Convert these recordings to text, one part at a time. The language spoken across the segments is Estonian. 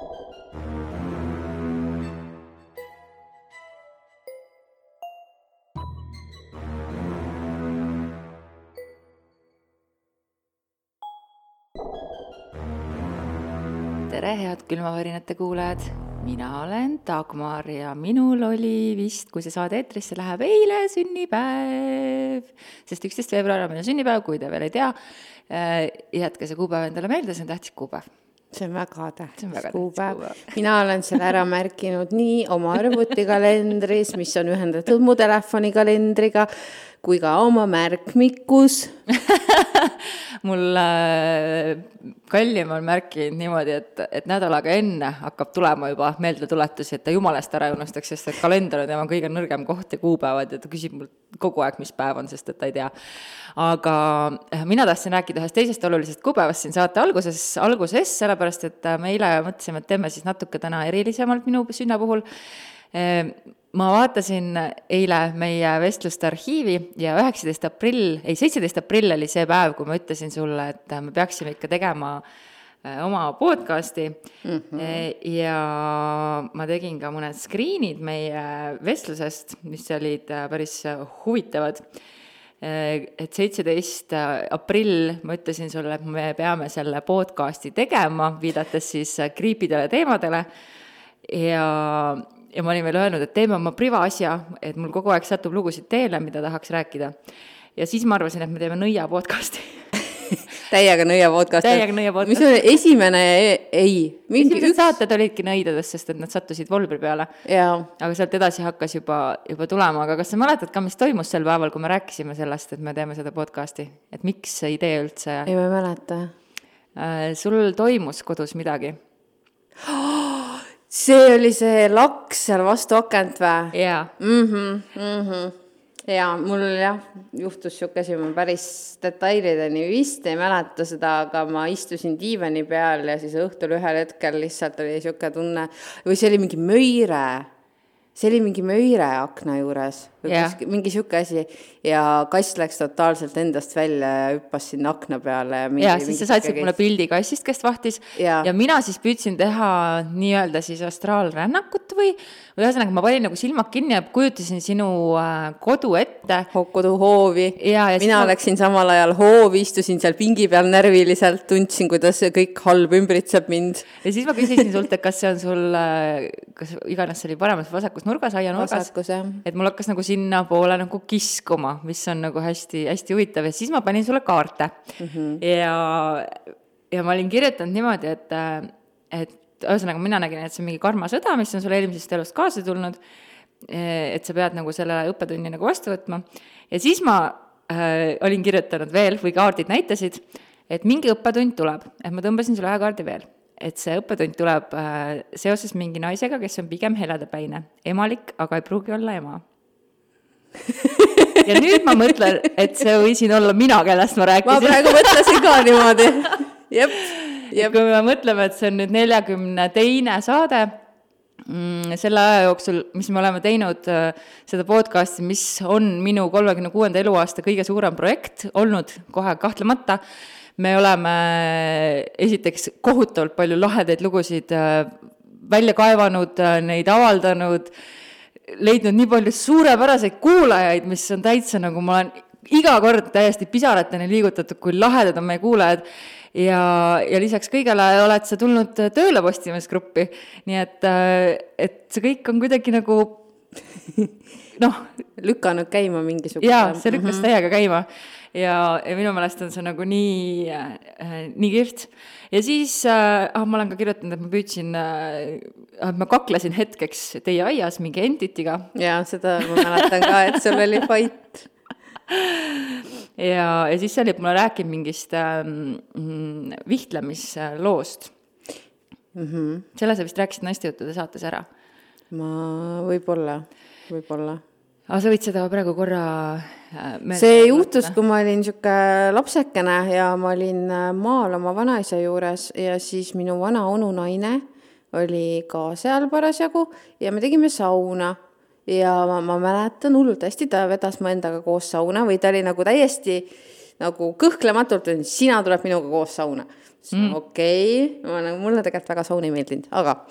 Tere, head külmavärinate kuulajad! Mina olen Dagmar ja minul oli vist, kui see saade eetrisse läheb, eile sünnipäev. Sest 11. veebruar on minu sünnipäev, kui te veel ei tea. Jätke see kuupäev endale meelde, see on tähtis kuupäev. See on väga tähtis kuupäev. Mina olen selle ära märkinud nii oma arvutikalendris, mis on ühendatud mu telefonikalendriga, kui ka oma märkmikus. Mul kallim on märkinud niimoodi, et nädalaga enne hakkab tulema juba meeldetuletusi, et ta jumalast ära unustaks, sest et kalender on tema kõige nõrgem koht ja kuupäevad ja ta küsib mul kogu aeg, mis päev on, sest et ta ei tea. Aga mina tahtsin rääkida ühest teisest olulisest kuupäevast siin saate alguses, sellepärast, et me eile mõtlesime, et teeme siis natuke täna erilisemalt minu sünna puhul. Ma vaatasin eile meie vestluste arhiivi ja 17. aprill oli see päev, kui ma ütlesin sulle, et me peaksime ikka tegema oma podcasti ja ma tegin ka mõned screenid meie vestlusest, mis olid päris huvitavad. Et 17. aprill ma ütlesin sulle, et me peame selle podcasti tegema, viidates siis kriipidele teemadele ja ma olin veel öelnud, et teeme oma privaasja, et mul kogu aeg satub lugusid teele, mida tahaks rääkida. Ja siis ma arvasin, et me teeme nõia podcasti. Täiega nõia podcast. Mis on esimene Esimesed saated olidki nõidades, sest et nad sattusid Volbri peale. Jaa. Aga sealt edasi hakkas juba tulema. Aga kas sa mäletad ka, mis toimus sel päeval, kui me rääkisime sellest, et me teeme seda podcasti? Et miks see idee üldse? Ei, ma mäleta. Sul toimus kodus midagi? See oli see laks seal vastu akent või? Jaa. Ja mul juhtus siukesi, ma päris detailideni vist ei mäleta seda, aga ma istusin diivani peal ja siis õhtul ühel hetkel lihtsalt oli siuke tunne, või see oli mingi möire akna juures, mingi siuke asi ja kass läks totaalselt endast välja ja hüppas sinna akna peale. Ja siis sa saatsid mulle pildi kassist, kes vahtis ja mina siis püüdsin teha nii-öelda siis astraalrännakut või ühesõnaga ma panin nagu silmad kinni ja kujutasin sinu kodu ette. Koduhoovi. Mina läksin samal ajal hoovi, istusin seal pingi peal närviliselt, tundsin, kuidas kõik halb ümbritseb mind. Ja siis ma küsisin sult, et kas see on sul, kas iganes see oli paremas vasakus nurgas, aianurgas, et mul hakkas nagu sinna poole nagu kiskuma, mis on nagu hästi, hästi huvitav ja siis ma panin sulle kaarte ja ma olin kirjutanud niimoodi, et ühesõnaga mina nägin, et see on mingi karmasõda, mis on sulle eelmisest elust kaasa tulnud, et sa pead nagu selle õppetunni nagu vastu võtma ja siis ma olin kirjutanud veel, või kaardid näitasid, et mingi õppetund tuleb, et ma tõmbasin sulle ühe kaardi veel, et see õppetund tuleb seoses mingi naisega, kes on pigem heledapäine, emalik, aga ei pruugi olla ema. Ja nüüd ma mõtlen, et see võisin olla mina, kellest ma rääkisin. Ma praegu mõtlesin ka niimoodi. Jep. Kui me mõtleme, et see on nüüd 42. saade, selle aja jooksul, mis me oleme teinud seda podcasti, mis on minu 36. eluaasta kõige suurem projekt olnud kohe kahtlemata, me oleme esiteks kohutavalt palju lahedaid lugusid välja kaevanud, neid avaldanud, leidnud nii palju suurepäraseid kuulajaid, mis on täitsa nagu ma olen iga kord täiesti pisarateni liigutatud, kui lahedad on meie kuulajad ja lisaks kõigele oled sa tulnud tööle Postimeesgruppi, nii et see kõik on kuidagi nagu lükanud käima mingisugune. Jaa, see lükkas täiega käima ja minu meelest on see nagu nii kirt. Ja siis ma olen ka kirjutanud, et ma püüdsin, ma kaklesin hetkeks teie aias mingi entitiga. Jaa, seda ma mäletan ka, et sul oli fight. Ja siis sa olid mulle rääkinud mingist vihtlemisloost. Selle sa vist rääkisid naistejuttude saates ära. Ma võib-olla. Aga sa võid seda praegu korra see juhtus, kui ma olin siuke lapsekene ja ma olin maal oma vanaisa juures ja siis minu vana onu naine oli ka seal parasjagu ja me tegime sauna ja ma mäletan hullult hästi, ta vedas mu endaga koos sauna või ta oli nagu täiesti nagu kõhklematult, sina tuleb minuga koos sauna. Okei, mulle tegelikult väga saun ei meeldinud, aga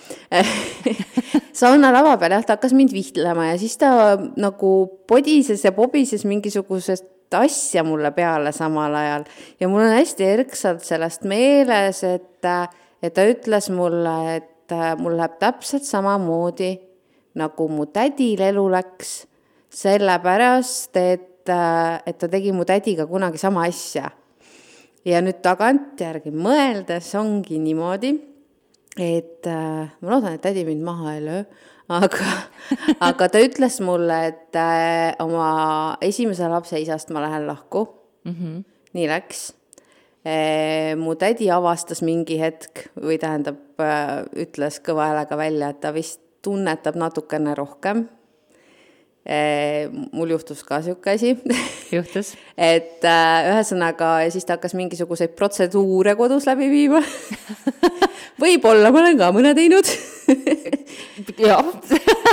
sauna lava peal ta hakkas mind vihtlema ja siis ta nagu podises ja pobises mingisugusest asja mulle peale samal ajal. Ja mul on hästi erksalt sellest meeles, et ta ütles mulle, et mul läheb täpselt samamoodi, nagu mu tädil elu läks, sellepärast, et ta tegi mu tädiga kunagi sama asja. Ja nüüd tagantjärgi mõeldes ongi niimoodi, et ma loodan, et tädi mind maha ei löö, aga ta ütles mulle, et oma esimese lapse isast ma lähen lahku. Nii läks. Mu tädi avastas mingi hetk või tähendab, ütles kõva häälega välja, et ta vist tunnetab natukene rohkem. Mul juhtus ka siuke asi. Juhtus. Et ühesõnaga, ja siis ta hakkas mingisuguseid protseduure kodus läbi viima. Võib-olla ma olen ka mõne teinud. Jah.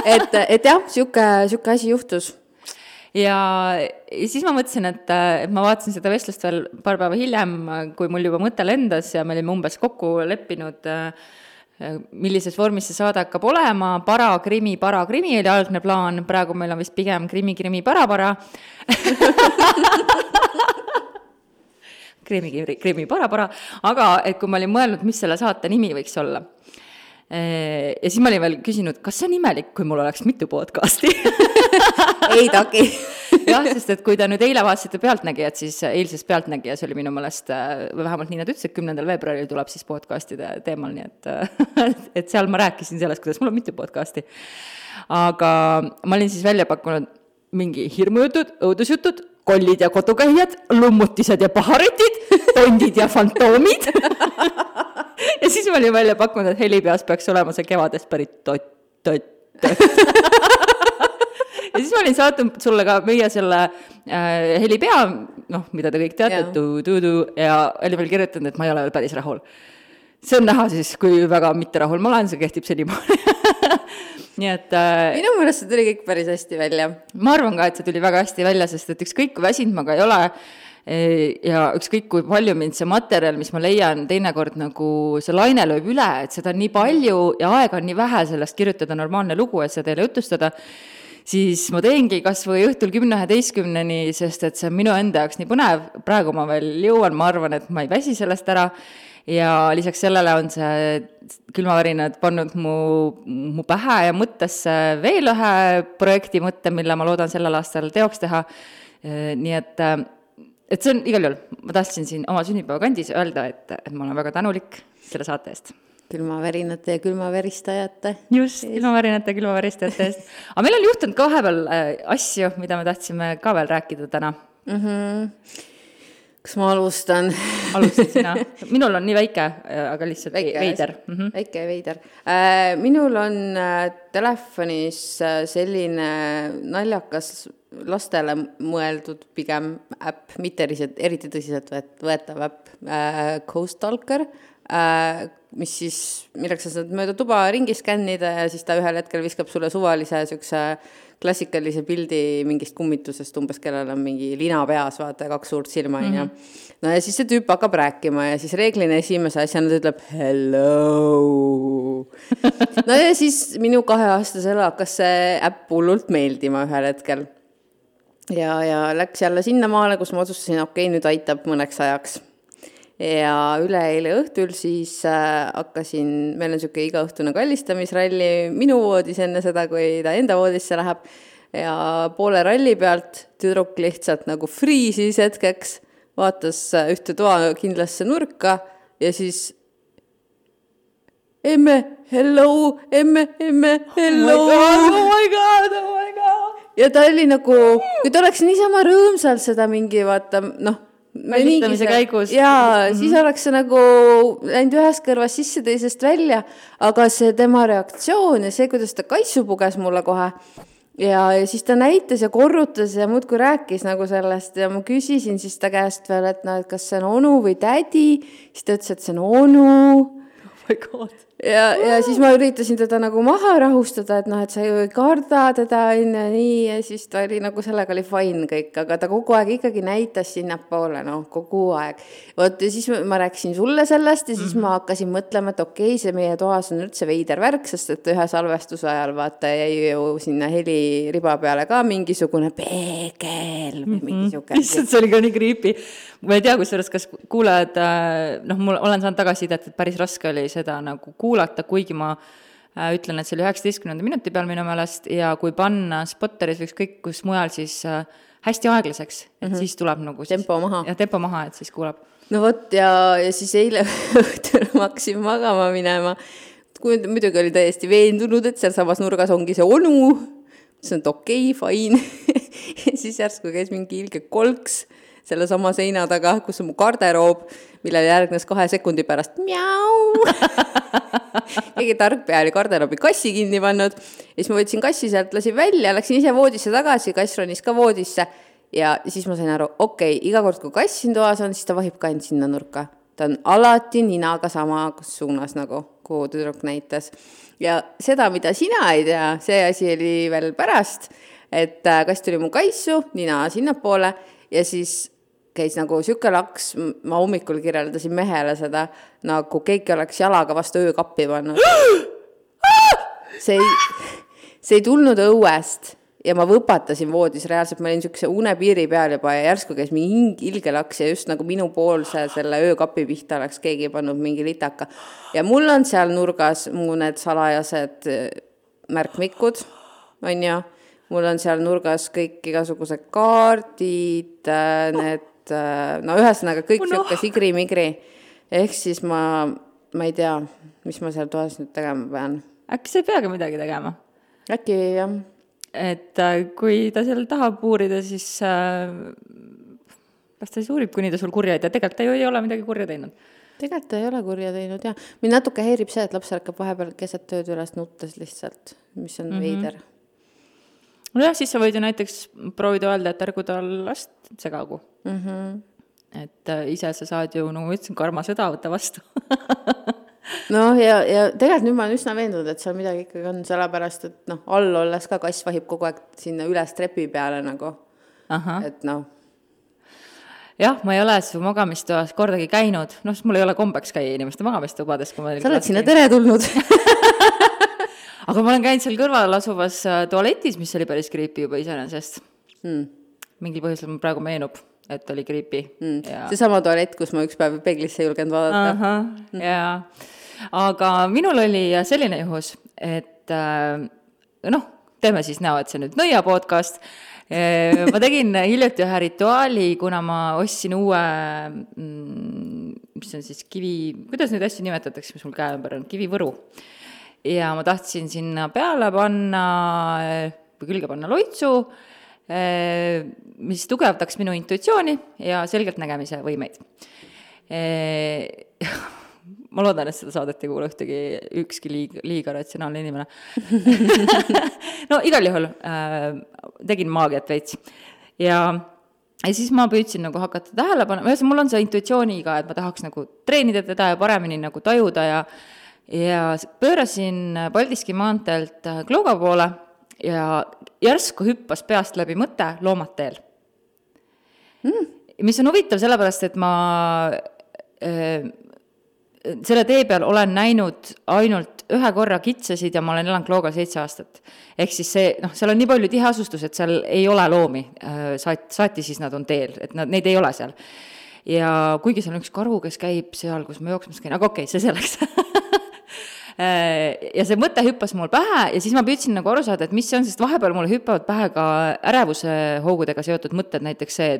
et jah, siuke asi juhtus. Ja siis ma mõtlesin, et ma vaatasin seda vestlust veel paar päeva hiljem, kui mul juba mõte lendas ja me olime umbes kokku leppinud, millises vormis see saade hakkab olema. Para-krimi oli algne plaan, praegu meil on vist pigem krimi para-para. krimi para-para, aga et kui ma olin mõelnud, mis selle saate nimi võiks olla. Ja siis ma olin veel küsinud, kas see on imelik, kui mul oleks mitu podcasti? Ei taki. Jah, sest et kui ta nüüd eile vaatasite Pealtnägijat, siis eilses Pealtnägijas oli minu mõelest, või vähemalt nii nad ütles, et 10. veebruaril tuleb siis podcastide teemal, nii et seal ma rääkisin sellest, kuidas mul on mitu podcasti. Aga ma olin siis välja pakkunud mingi hirmujutud, õudusjutud, kollid ja kodukäijad, lummutised ja paharetid, tondid ja fantoomid. Ja siis ma olin välja pakkunud, et Helipeas peaks olema see kevadest pärit tot. Ja siis ma olin saatnud sulle ka meie selle Helipea, mida te kõik teate, ja olin veel kirjutanud, et ma ei ole veel päris rahul. See on näha siis, kui väga mitte rahul ma olen, see kehtib senimaani. Nii et minu mõelest see tuli kõik päris hästi välja. Ma arvan ka, et see tuli väga hästi välja, sest et ükskõik kui väsinud ma ka ei ole ja ükskõik kui palju mind see materjal, mis ma leian, teinekord nagu see laine lööb üle, et seda on nii palju ja aega on nii vähe sellest kirjutada normaalne lugu, et seda teile jutustada, siis ma teengi kas või õhtul 10-11, sest et see on minu enda jaoks nii põnev. Praegu ma veel jõuan, ma arvan, et ma ei väsi sellest ära. Ja lisaks sellele on see külmavärinad pannud mu pähe ja mõttesse veel ühe projekti mõtte, mille ma loodan sellel aastal teoks teha. Nii et see on igal juhul, ma tahtsin siin oma sünnipäeva kandis öelda, et ma olen väga tänulik selle saate eest. Külmavärinate ja külmaveristajate. Just, külmavärinate ja külmaveristajate eest. Aga meil on juhtunud ka vahepeal asju, mida me tahtsime ka veel rääkida täna. Kas ma alustan? Alustan sina. Minul on nii väike, aga lihtsalt veider. Väike veider. Minul on telefonis selline naljakas lastele mõeldud pigem äpp, mitte eriti tõsiselt võetav äpp, Coastalker, mis siis, milleks sa saad mööda tuba ringi skännida ja siis ta ühel hetkel viskab sulle suvalise sükse klassikalise pildi mingist kummitusest, umbes kellel on mingi lina peas, vaata, 2 suurt silma. No ja siis see tüüp hakkab rääkima ja siis reeglina esimese asjana ta ütleb hello. No ja siis minu 2-aastasele hakkas see äpp hullult meeldima ühel hetkel. Ja läks jälle sinna maale, kus ma otsustasin, okei, nüüd aitab mõneks ajaks. Ja üleeile õhtul siis hakkasin, meil on siuke igaõhtune kallistamisralli minu voodis enne seda, kui ta enda voodisse läheb. Ja poole ralli pealt tüdruk lihtsalt nagu friisis hetkeks, vaatas ühte toa kindlasse nurka ja siis emme, hello, emme, hello. Oh my god. Ja ta oli nagu, kui ta oleks niisama rõõmsalt seda mingi, vaata, välistamise käigus. Jaa, siis oleks see nagu läinud ühest kõrvast sisse teisest välja, aga see tema reaktsioon ja see, kuidas ta kaitsu puges mulle kohe ja siis ta näitas ja korrutas ja muudkui rääkis nagu sellest ja ma küsisin siis ta käest veel, et kas see on onu või tädi, siis ta ütles, et see on onu. Oh my god. ja siis ma üritasin teda nagu maha rahustada, et noh, et sa ju ei karda teda, nii, ja siis ta oli nagu, sellega oli fine kõik, aga ta kogu aeg ikkagi näitas sinnapoole, noh, kogu aeg. Vot, ja siis ma rääkisin sulle sellest ja siis ma hakkasin mõtlema, et okei, see meie toas on üldse veider värk, sest et ühe salvestuse ajal vaata jäi ju sinna heliriba peale ka mingisugune peegel või mingisugune. Lihtsalt see oli ka nii creepy. Ma ei tea, kas kuulajad, noh, mul olen saanud tagasisidet, et päris raske oli seda nagu kuulata, kuigi ma ütlen, et see oli 19. minuti peal minu meelest ja kui panna Spotteris või kõik, kus mujal siis hästi aeglaseks, et siis tuleb nagu siis, tempo maha. Ja tempo maha, et siis kuulab. No vot, ja siis eile õhtul ma hakkasin magama minema. Muidugi oli täiesti veendunud, et seal samas nurgas ongi see onu. See on okei, fine. Ja siis järsku käis mingi ilge kolks selle sama seina taga, kus on mu garderoob, millele järgnes 2 sekundi pärast mjau. Keegi tark pea oli garderoobi kassi kinni pannud. Ja siis ma võtsin kassi sealt, lasin välja, läksin ise voodisse tagasi, kass ronis ka voodisse. Ja siis ma sain aru, okei, iga kord, kui kass siin toas on, siis ta vahib ka end sinna nurka. Ta on alati ninaga sama suunas, nagu kuhu tüdruk näitas. Ja seda, mida sina ei tea, see asi oli veel pärast, et kass tuli mu kaissu, nina sinnapoole ja siis käis nagu süke laks, ma hommikul kirjeldasin mehele seda, nagu keegi oleks jalaga vastu öökappi pannud. See ei tulnud õuest ja ma võpatasin voodis, reaalselt ma olin sükse unepiiri peal juba ja järsku käis mingi ilge laks ja just nagu minu poolse selle öökapi pihta oleks keegi pannud mingi litaka. Ja mul on seal nurgas mu need salajased märkmikud, on ju, mul on seal nurgas kõik igasugused kaardid, need, no ühesõnaga kõik sükka sigri-migri. Ehk siis ma ei tea, mis ma seal toas nüüd tegema pean. Äkki sa ei peagi midagi tegema? Äkki jah. Et kui ta seal tahab uurida, siis las ta siis uurib, kuni ta sul kurja ei tea. Tegelikult ta ju ei ole midagi kurja teinud. Tegelikult ta ei ole kurja teinud, jah. Mind natuke häirib see, et laps ärkab vahepeal keset tööd üles nuttes lihtsalt, mis on veider. No jah, siis sa võid ju näiteks proovida öelda, et ärgu tal last segagu. Et ise sa saad ju, nagu ütlesin, karma seda võtta vastu. No ja tegelikult nüüd ma olen üsna veendunud, et seal midagi ikkagi on sellepärast, et noh, all olles ka kass vahib kogu aeg sinna üles trepi peale nagu. Et noh. Jah, ma ei ole su magamistoas kordagi käinud, noh, mul ei ole kombeks käia inimeste magamistubades. Sa oled sinna tere tulnud. Aga ma olen käinud seal kõrval asuvas tualetis, mis oli päris creepy juba iseenesest. Mingil põhjusel mul praegu meenub, et oli creepy. See sama tualet, kus ma üks päev peeglisse julgenud vaadata. Jaa. Aga minul oli selline juhus, et noh, teeme siis näo, et see nüüd nõia podcast. Ma tegin hiljuti ühe rituaali, kuna ma ostsin uue, mis on siis kuidas neid asju nimetatakse, mis mul käe ümber on, kivivõru. Ja ma tahtsin sinna peale panna, või külge panna loitsu, mis tugevdaks minu intuitsiooni ja selgelt nägemise võimeid. Ma loodan, et seda saadet ei kuule ükski liiga ratsionaalne inimene. No igal juhul tegin maagiat veits. Ja siis ma püüdsin nagu hakata tähelepanu, mul on see intuitsiooniga, et ma tahaks nagu treenida teda ja paremini nagu tajuda ja pöörasin Paldiski maanteelt Klooga poole ja järsku hüppas peast läbi mõte loomad teel. Mis on huvitav sellepärast, et ma selle tee peal olen näinud ainult ühe korra kitsasid ja ma olen elanud Kloogal 7 aastat. Ehk siis see, noh, seal on nii palju tiheasustus, et seal ei ole loomi. Saati siis nad on teel, et neid ei ole seal. Ja kuigi seal on üks karu, kes käib seal, kus ma jooksmas käin, aga okei, see selleks. Ja see mõte hüppas mul pähe ja siis ma püüdsin nagu aru saada, et mis see on, sest vahepeal mulle hüppavad pähe ka ärevuse hoogudega seotud mõtted, näiteks see,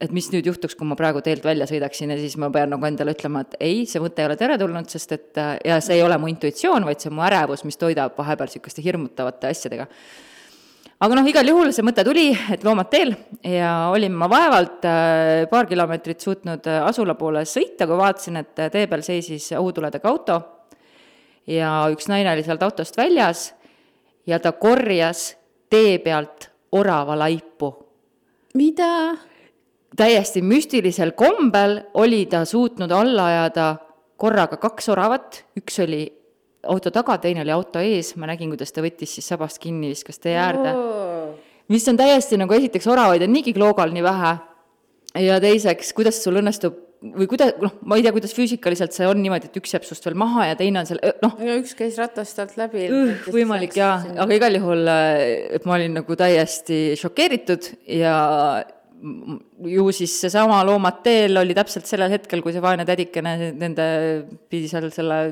et mis nüüd juhtuks, kui ma praegu teelt välja sõidaksin ja siis ma pean nagu endale ütlema, et ei, see mõte ei ole teretulnud, sest et ja see ei ole mu intuitsioon, vaid see on mu ärevus, mis toidab vahepeal sükeste hirmutavate asjadega. Aga noh, igal juhul see mõte tuli, et loomad teel ja olin ma vaevalt paar kilomeetrit suutnud asula poole sõita, kui vaatasin, et tee peal seisis õhutuledega auto ja üks naine oli sealt autost väljas ja ta korjas tee pealt orava laipu. Mida? Täiesti müstilisel kombel oli ta suutnud alla ajada korraga 2 oravat, üks oli auto taga, teine oli auto ees, ma nägin, kuidas ta võttis siis sabast kinni, viskas tee äärde. Mis on täiesti nagu esiteks oravaid on niigi kloogal nii vähe ja teiseks, kuidas sul õnnestub või kuidas, ma ei tea, kuidas füüsikaliselt see on niimoodi, et üks jääb sust veel maha ja teine on seal, ja üks käis ratast alt läbi. Võimalik jaa, aga igal juhul, et ma olin nagu täiesti šokeeritud ja ju siis seesama Loomad teel oli täpselt sellel hetkel, kui see vaene tädikene nende pidi seal selle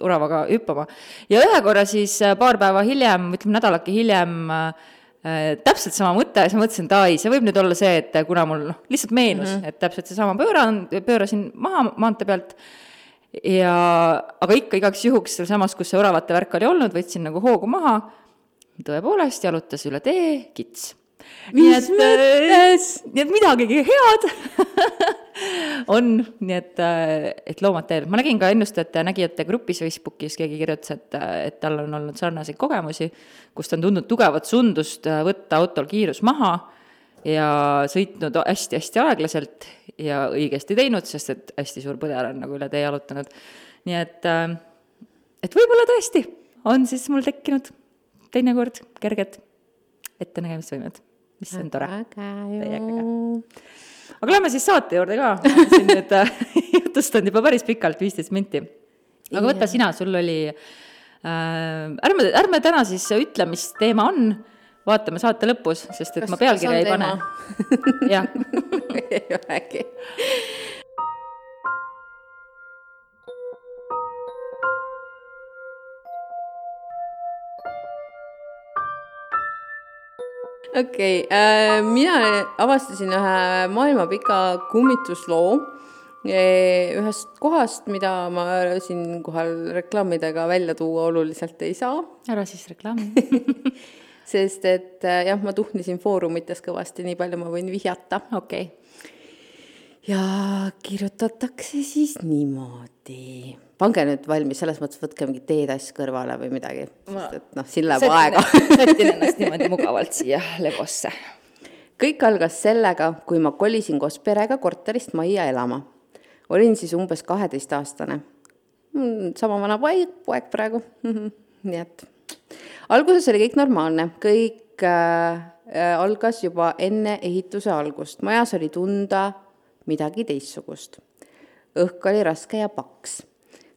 oravaga hüppama. Ja ühe korra siis paar päeva hiljem, ütleme nädalake hiljem, täpselt sama mõte, siis mõtlesin, et see võib nüüd olla see, et kuna mul lihtsalt meenus, et täpselt see sama pöörasin maha maante pealt, aga ikka igaks juhuks seal samas, kus see oravate värk oli olnud, võtsin nagu hoogu maha, tõepoolest jalutas üle tee, kits. Nii et midagigi head on, nii et Loomad teel. Ma nägin ka ennustajate ja nägijate grupis Facebookis, keegi kirjutas, et tal on olnud sarnaseid kogemusi, kus ta on tundnud tugevat sundust võtta autol kiirus maha ja sõitnud hästi-hästi aeglaselt ja õigesti teinud, sest et hästi suur põder on nagu üle tee jalutanud. Nii et võib-olla tõesti on siis mul tekkinud teinekord kerged ettenägemisvõimed, mis on tore. Aga lähme siis saate juurde ka. Siin nüüd jutustanud juba päris pikalt, 15 minti. Aga võta sina, sul oli... Ärme täna siis ütle, mis teema on. Vaatame saate lõpus, sest et ma pealkirja ei pane. Jah. Ei olegi. Okei, mina avastasin ühe maailmapika kummitusloo ühest kohast, mida ma siin kohal reklaamidega välja tuua oluliselt ei saa. Ära siis reklaami. Sest et jah, ma tuhnisin foorumites kõvasti, nii palju ma võin vihjata. Okei. Ja kirjutatakse siis niimoodi. Pange nüüd valmis, selles mõttes võtke mingi teedass kõrvale või midagi. Sest et siin läheb aega. Sätin ennast niimoodi mugavalt siia levosse. Kõik algas sellega, kui ma kolisin koos perega korterist majja elama. Olin siis umbes 12-aastane. Sama vana poeg praegu. Nii et alguses oli kõik normaalne. Kõik algas juba enne ehituse algust. Majas oli tunda midagi teistsugust. Õhk oli raske ja paks.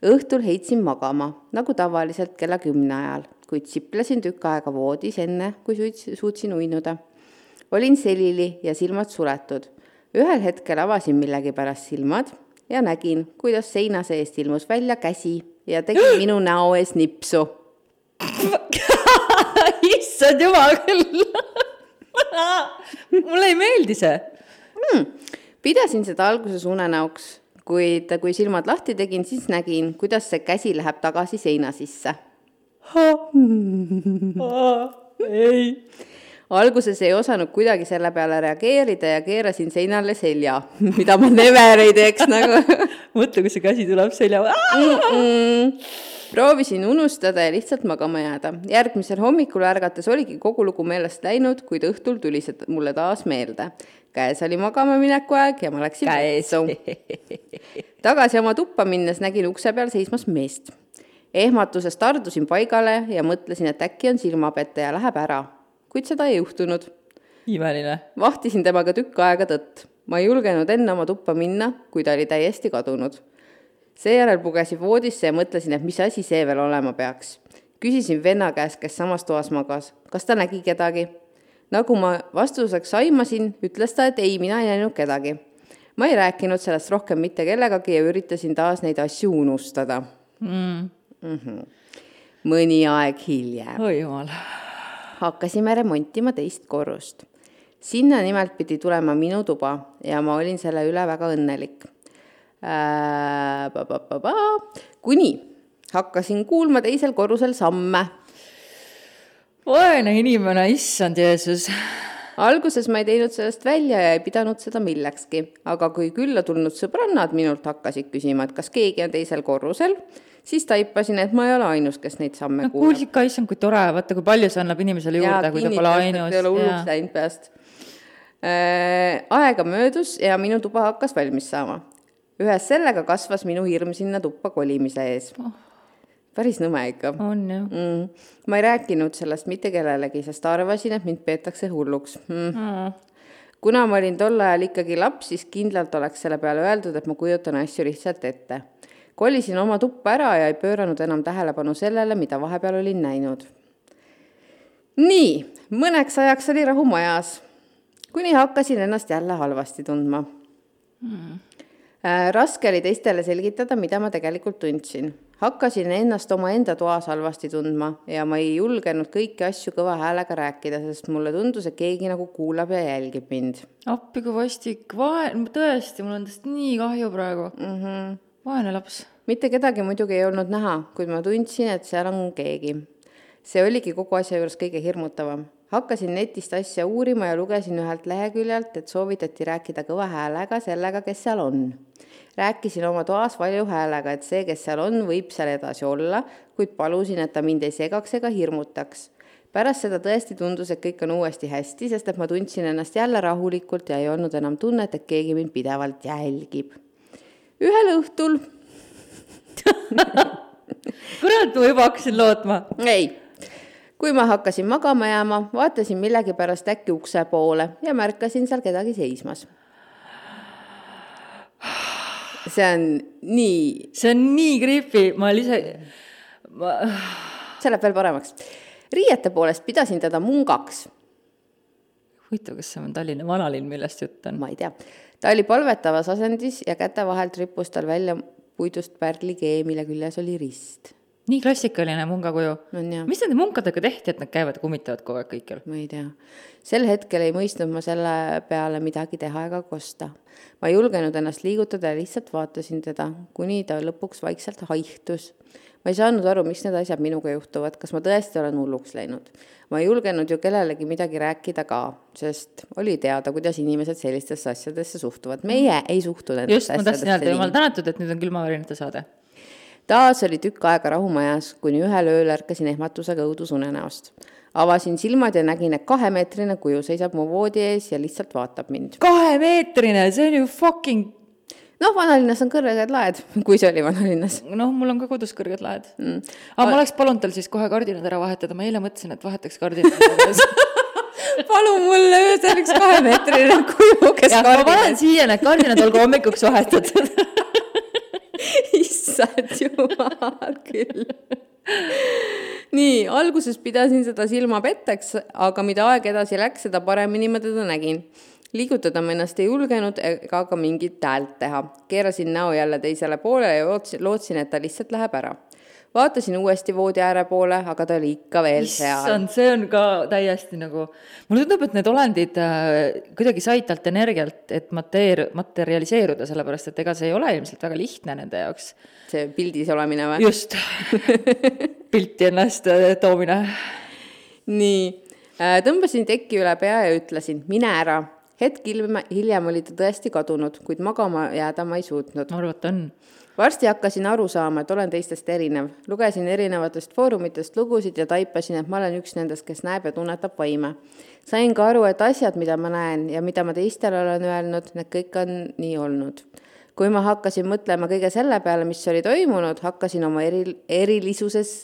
Õhtul heitsin magama, nagu tavaliselt kella 10 ajal, kuid siplesin tükk aega voodis enne, kui suutsin uinuda. Olin selili ja silmad suletud. Ühel hetkel avasin millegi pärast silmad ja nägin, kuidas seina seest ilmus välja käsi ja tegi minu näo ees nipsu. Issand jumal küll! Mulle ei meeldi see. Pidasin seda alguses unenäoks. Kuid kui silmad lahti tegin, siis nägin, kuidas see käsi läheb tagasi seina sisse. Ei. Alguses ei osanud kuidagi selle peale reageerida ja keerasin seinale selja, mida ma never ei teeks nagu. Mõtle, kui see käsi tuleb selja. Proovisin unustada ja lihtsalt magama jääda. Järgmisel hommikul ärgates oligi kogu lugu meelest läinud, kuid õhtul tuli see mulle taas meelde. Käes oli magama mineku aeg ja ma läksin vetsu. Tagasi oma tuppa minnes nägin ukse peal seismas meest. Ehmatuses tardusin paigale ja mõtlesin, et äkki on silmapette ja läheb ära. Kuid seda ei juhtunud. Imeline. Vahtisin temaga tükk aega tõtt. Ma ei julgenud enne oma tuppa minna, kui ta oli täiesti kadunud. Seejärel pugesin voodisse ja mõtlesin, et mis asi see veel olema peaks. Küsisin venna käest, kes samas toas magas. Kas ta nägi kedagi? Nagu ma vastuseks aimasin, ütles ta, et ei, mina ei näinud kedagi. Ma ei rääkinud sellest rohkem mitte kellegagi ja üritasin taas neid asju unustada. Mõni aeg hiljem. Oi jumal. Hakkasime remontima teist korrust. Sinna nimelt pidi tulema minu tuba ja ma olin selle üle väga õnnelik. Kuni hakkasin kuulma teisel korrusel samme. Vaene inimene, issand Jeesus. Alguses ma ei teinud sellest välja ja ei pidanud seda millekski, aga kui külla tulnud sõbrannad minult hakkasid küsima, et kas keegi on teisel korrusel, siis taipasin, et ma ei ole ainus, kes neid samme kuulab. Kuulsid ka, issand, kui tore, vaata, kui palju see annab inimesele juurde, kui ta pole ainus. Ja hulluks läinud peast. Aega möödus ja minu tuba hakkas valmis saama. ühes sellega kasvas minu hirm sinna tuppa kolimise ees. Päris nõme ikka. On ju. Ma ei rääkinud sellest mitte kellelegi, sest arvasin, et mind peetakse hulluks. Kuna ma olin tol ajal ikkagi laps, siis kindlalt oleks selle peale öeldud, et ma kujutan asju lihtsalt ette. Kolisin oma tuppa ära ja ei pööranud enam tähelepanu sellele, mida vahepeal olin näinud. Nii, mõneks ajaks oli rahu majas, kuni hakkasin ennast jälle halvasti tundma. Raske oli teistele selgitada, mida ma tegelikult tundsin. Hakkasin ennast oma enda toas halvasti tundma ja ma ei julgenud kõiki asju kõva häälega rääkida, sest mulle tundus, et keegi nagu kuulab ja jälgib mind. Appi kui vastik, tõesti, mul on tõesti nii kahju praegu. Vaene laps. Mitte kedagi muidugi ei olnud näha, kuid ma tundsin, et seal on keegi. See oligi kogu asja juures kõige hirmutavam. Hakkasin netist asja uurima ja lugesin ühelt leheküljelt, et soovitati rääkida kõva häälega sellega, kes seal on. Rääkisin oma toas valju häälega, et see, kes seal on, võib seal edasi olla, kuid palusin, et ta mind ei segaks ega hirmutaks. Pärast seda tõesti tundus, et kõik on uuesti hästi, sest et ma tundsin ennast jälle rahulikult ja ei olnud enam tunnet, et keegi mind pidevalt jälgib. Ühel õhtul... Kurat, ma juba hakkasin lootma. Ei. Kui ma hakkasin magama jääma, vaatasin millegi pärast äkki ukse poole ja märkasin seal kedagi seismas. See on nii creepy, ma ise... See läheb veel paremaks. Riiete poolest pidasin teda mungaks. Huvitav, kas see on Tallinna vanalinn, millest jutt on? Ma ei tea. Ta oli palvetavas asendis ja käte vahelt rippus tal välja puidust pärlikee, mille küljes oli rist. Nii klassikaline mungakuju. Ja. Mis nende munkadega tehti, et nad käivad kummitavad kogu aeg kõikjal? Ma ei tea. Sel hetkel ei mõistnud ma selle peale midagi teha ega kosta. Ma ei julgenud ennast liigutada ja lihtsalt vaatasin teda, kuni ta lõpuks vaikselt haihtus. Ma ei saanud aru, miks need asjad minuga juhtuvad, kas ma tõesti olen hulluks läinud. Ma ei julgenud ju kellelegi midagi rääkida ka, sest oli teada, kuidas inimesed sellistesse asjadesse suhtuvad. Meie ei suhtu nendesse asjadesse. Just, ma tahtsin öelda, jumal tänatud, et nüüd on külmavärinate saade. Taas oli tükk aega rahumajas, kuni ühel ööl ärkasin ehmatusega õudus unenäost. Avasin silmad ja nägin, et 2-meetrine kuju seisab mu voodi ees ja lihtsalt vaatab mind. 2-meetrine, see on ju fucking... Vanalinnas on kõrged laed, kui see oli vanalinnas. Mul on ka kodus kõrged laed. Ma oleks palunud tal siis kohe kardinad ära vahetada. Ma eile mõtlesin, et vahetaks kardinad. Palu mulle öösel üks 2-meetrine kuju, kes ja, kardinad. Ma panen siia need kardinad, olgu hommikuks vahetatud. Issad jumal küll. Nii, alguses pidasin seda silma petteks, aga mida aeg edasi läks, seda paremini ma teda nägin. Liigutada ma ennast ei julgenud ega ka mingit häält teha. Keerasin näo jälle teisele poole ja lootsin, et ta lihtsalt läheb ära. Vaatasin uuesti voodi ääre poole, aga ta oli ikka veel seal. See on ka täiesti nagu... Mulle tundub, et need olendid kuidagi said talt energialt, et materialiseeruda, sellepärast, et ega see ei ole ilmselt väga lihtne nende jaoks. See pildis olemine või? Just. Pilti ennast toomine. Nii. Tõmbasin tekki üle pea ja ütlesin, mine ära. Hetk hiljem oli ta tõesti kadunud, kuid magama jääda ma ei suutnud. Arvat on. Varsti hakkasin aru saama, et olen teistest erinev. Lugesin erinevatest foorumitest lugusid ja taipasin, et ma olen üks nendest, kes näeb ja tunnetab vaime. Sain ka aru, et asjad, mida ma näen ja mida ma teistele olen öelnud, need kõik on nii olnud. Kui ma hakkasin mõtlema kõige selle peale, mis oli toimunud, hakkasin oma erilisuses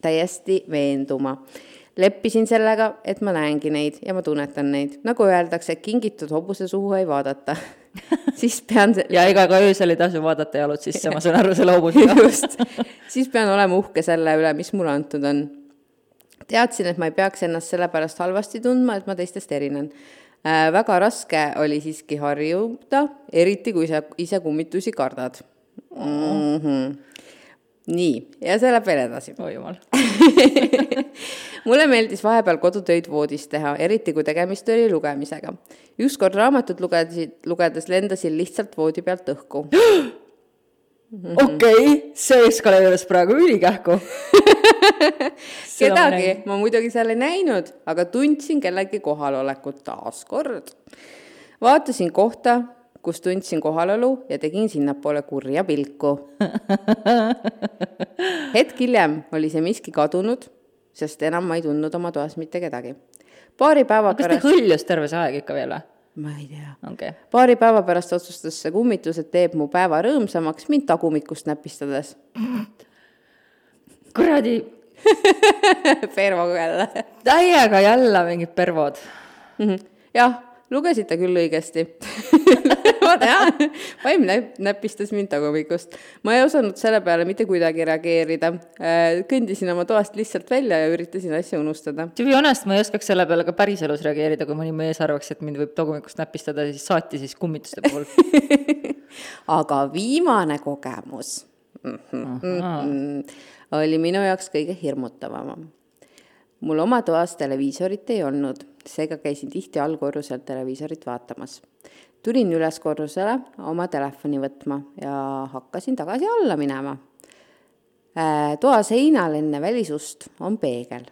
täiesti veenduma. Leppisin sellega, et ma näengi neid ja ma tunnetan neid. Nagu öeldakse, et kingitud hobuse suhu ei vaadata. Siis pean... Ja ega ka öösel ei tasu vaadata jalud sisse, ma saan aru selle hobusega. Just. Siis pean olema uhke selle üle, mis mulle antud on. Teadsin, et ma ei peaks ennast selle pärast halvasti tundma, et ma teistest erinen. Väga raske oli siiski harjuda, eriti kui sa ise kummitusi kardad. Nii, ja see läheb veel edasi. Oi jumal. Mulle meeldis vahepeal kodutöid voodis teha, eriti kui tegemist oli lugemisega. Ükskord raamatut lugedes lendasin lihtsalt voodi pealt õhku. Okei, see eskaleerudes praegu ülikähku. Kedagi ma muidugi seal ei näinud, aga tundsin kellegi kohalolekut taas kord. Vaatasin kohta, kus tundsin kohalolu ja tegin sinnapoole kurja pilku. Hetk hiljem oli see miski kadunud, sest enam ma ei tundnud oma toas mitte kedagi. Paari päeva pärast... Kas te hõljus terve see aeg ikka veel? Ma ei tea. Okay. Paari päeva pärast otsustas see kummitus, et teeb mu päeva rõõmsamaks mind tagumikust näpistades. Kuradi. Pervo jälle. Täiega jälle mingid pervod. Jah, lugesite küll õigesti. Ma tean, vaim näpistas mind tagumikust. Ma ei osanud selle peale mitte kuidagi reageerida. Kõndisin oma toast lihtsalt välja ja üritasin asja unustada. To be honest, ma ei oskaks selle peale ka päris elus reageerida, kui mõni mees arvaks, et mind võib tagumikust näpistada, siis saati siis kummituste puhul. Aga viimane kogemus oli minu jaoks kõige hirmutavam. Mul oma toas televiisorit ei olnud, seega käisin tihti allkorrusel televiisorit vaatamas. Tulin üles korrusele oma telefoni võtma ja hakkasin tagasi alla minema. Toa seinal enne välisust on peegel.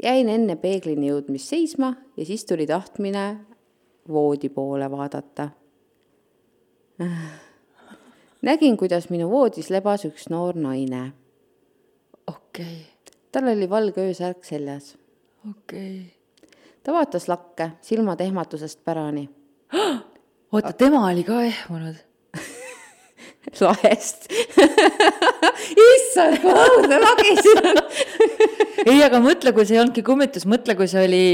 Jäin enne peeglini jõudmist seisma ja siis tuli tahtmine voodi poole vaadata. Nägin, kuidas minu voodis lebas üks noor naine. Okei. Tal oli valge öösärk seljas. Okei. Ta vaatas lakke, silmad ehmatusest pärani. Oota, tema oli ka ehmunud. Lahest. Issand, kui õudne lagisin on. Ei, aga mõtle, kui see ei olnudki kummitus, mõtle, kui see oli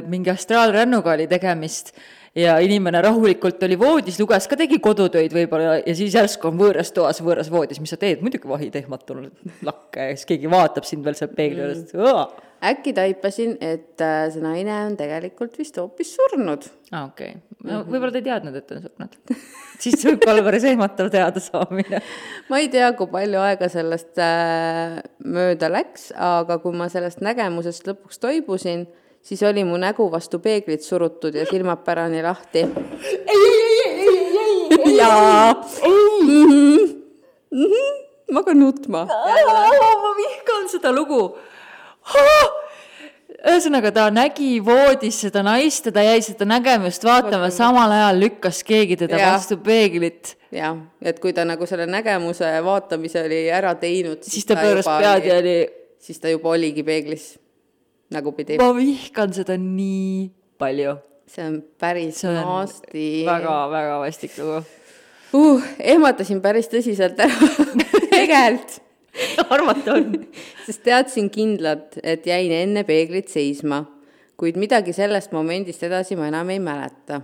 mingi astraalrännuga oli tegemist ja inimene rahulikult oli voodis, luges ka tegi kodutöid võib-olla ja siis järsku on võõras toas, võõras voodis, mis sa teed? Muidugi vahid ehmatunud lakke ja siis keegi vaatab sind veel seal peegli juures. Äkki taipasin, et see naine on tegelikult vist hoopis surnud. Okei. No, võib-olla te ei teadnud, et on surnud. Siis võib olla päris ehmatav teada saamine. Ma ei tea, kui palju aega sellest mööda läks, aga kui ma sellest nägemusest lõpuks toibusin, siis oli mu nägu vastu peeglit surutud ja silmad pärani lahti. Jaa. Ma ka nutma. Ma vihkan seda lugu. Ühesõnaga, ta nägi voodis seda naist ja ta jäi seda nägemust vaatama, samal ajal lükkas keegi teda vastu peeglit. Jah, et kui ta nagu selle nägemuse vaatamise oli ära teinud, siis ta pööras pead ja oli... Siis ta juba oligi peeglis. Nagu pidi. Ma vihkan seda nii palju. See on päris naasti. Väga vastik lugu. Ehmatasin päris tõsiselt ära. Tegelt. Arvata on. Sest teadsin kindlalt, et jäin enne peeglit seisma, kuid midagi sellest momendist edasi ma enam ei mäleta.